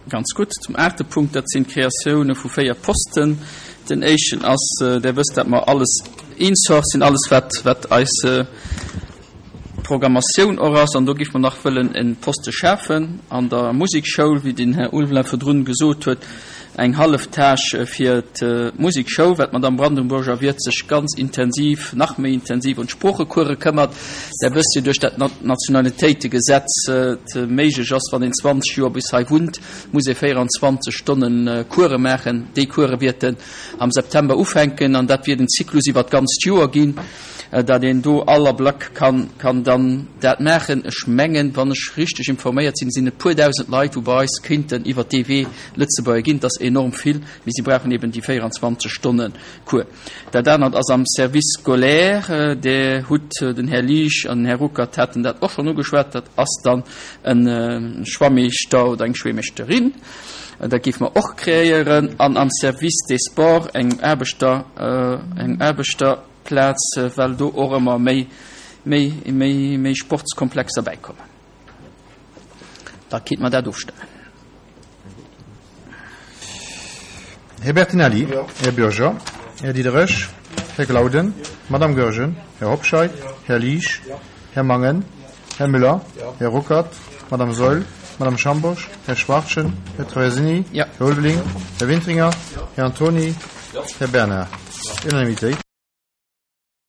Ganz gutt. Zum aachte Punkt, dat sinn d'Kreatioune vu 4 Posten. Den éischten ass, Der wësst, dat mer alles insourcen, alles wat, wat eis Programmatioun och ass. An do géife mer nach wëllen e Poste schafen an der Musekschoul, wéi den Här Ulveling virdrun gesot huet, eng hallef Tâche fir d'Musekschoul, well d'Madame Brandenburger-Wirth sech ganz intensiv, nach méi intensiv un d'Sproochecourse këmmert. Der wësst jo, duerch dat Nationalitéitegesetz et méiglech ass, wann een 20 Joer bis hei wunnt, muss ee 24 Stonne Course maachen. Déi Course wierten am September ufänken an dat wiert en Zyklus iwwer d'ganzt Joer ginn, datt een do all Ablack kann, kann dann dat maachen. Ech mengen, wann ech richteg informéiert sinn, sinn et puer dausend Leit, wou bei eis kéinten iwwer dee Wee Lëtzebuerger ginn. Dat ass enorm vill, mee si brauchen eben déi 24 Stonne Cours. Dat anert ass am Service scolaire. Där hutt, den Här Liesch an den Här Ruckert haten dat och schonn ugeschwat, dat ass dann e Schwammeeschter oder eng Schwémmeeschterin. Dat géife mer och kreéieren. An am Service des Sports eng Aarbechter, eng Aarbechterplaz, well do och ëmmer méi, méi, méi, méi Sportskomplexer bäikommen. Da kéinte mer dat ofstëmmen. Här Bertinelli, Här Bürger, Här Diderich, Här Glauden, Madame Goergen, Här Hobscheit, Här Liesch, Här Mangen, Här Müller, Här Ruckert, Madame Saeul, Madame Schambourg, Här Schwachtgen, Här Traversini, Här Ulveling, Här Wintringer, Här Antoni, Här Bernard. Unanimitéit.